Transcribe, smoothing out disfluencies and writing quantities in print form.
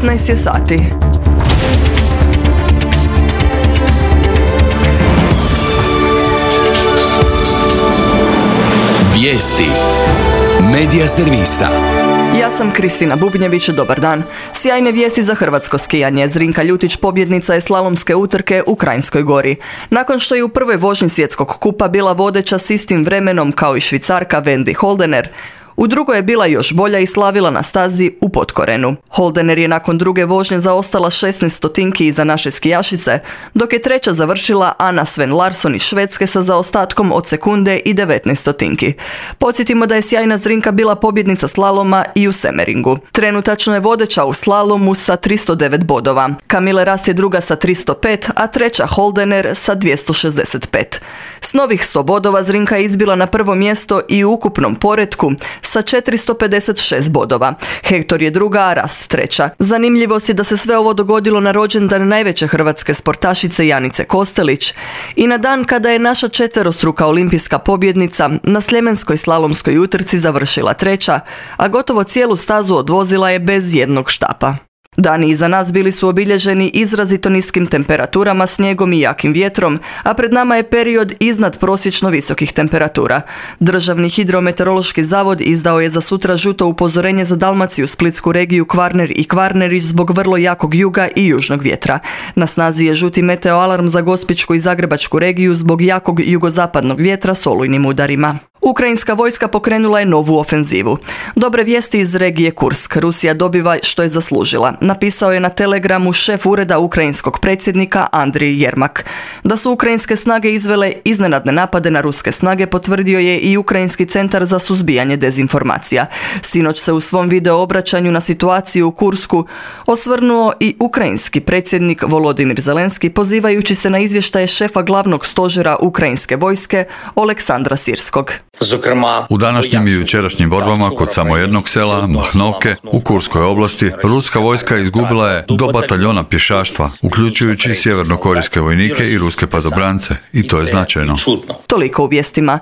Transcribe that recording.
15 je sati. Vijesti Medija servisa. Ja sam Kristina Bubnjević, dobar dan. Sjajne vijesti za hrvatsko skijanje. Zrinka Ljutić pobjednica je slalomske utrke u Kranjskoj Gori. Nakon što je u prvoj vožnji svjetskog kupa bila vodeća s istim vremenom kao i Švicarka Wendy Holdener, u drugoj je bila još bolja i slavila na stazi u Potkorenu. Holdener je nakon druge vožnje zaostala 16 stotinki iza naše skijašice, dok je treća završila Anna Sven Larsson iz Švedske sa zaostatkom od sekunde i 19 stotinki. Podsjetimo da je sjajna Zrinka bila pobjednica slaloma i u Semeringu. Trenutačno je vodeća u slalomu sa 309 bodova. Kamile Rast je druga sa 305, a treća Holdener sa 265. S novih 100 bodova Zrinka je izbila na prvo mjesto i u ukupnom poretku sa 456 bodova. Hektor je druga, a Rast treća. Zanimljivost je da se sve ovo dogodilo na rođendan najveće hrvatske sportašice Janice Kostelić i na dan kada je naša četverostruka olimpijska pobjednica na sljemenskoj slalomskoj utrci završila treća, a gotovo cijelu stazu odvozila je bez jednog štapa. Dani iza nas bili su obilježeni izrazito niskim temperaturama, snijegom i jakim vjetrom, a pred nama je period iznad prosječno visokih temperatura. Državni hidrometeorološki zavod izdao je za sutra žuto upozorenje za Dalmaciju, Splitsku regiju, Kvarner i Kvarnerić zbog vrlo jakog juga i južnog vjetra. Na snazi je žuti meteoalarm za Gospićku i Zagrebačku regiju zbog jakog jugozapadnog vjetra s olujnim udarima. Ukrajinska vojska pokrenula je novu ofenzivu. Dobre vijesti iz regije Kursk. Rusija dobiva što je zaslužila. Napisao je na Telegramu šef ureda ukrajinskog predsjednika Andrij Jermak. Da su ukrajinske snage izvele iznenadne napade na ruske snage potvrdio je i Ukrajinski centar za suzbijanje dezinformacija. Sinoć se u svom video obraćanju na situaciju u Kursku osvrnuo i ukrajinski predsjednik Volodimir Zelenski pozivajući se na izvještaje šefa glavnog stožera ukrajinske vojske Oleksandra Sirskog. U današnjim i jučerašnjim borbama kod samo jednog sela, Mahnovke, u Kurskoj oblasti, ruska vojska izgubila je do bataljona pješaštva, uključujući sjevernokorejske vojnike i ruske padobrance. I to je značajno. Toliko u vijestima.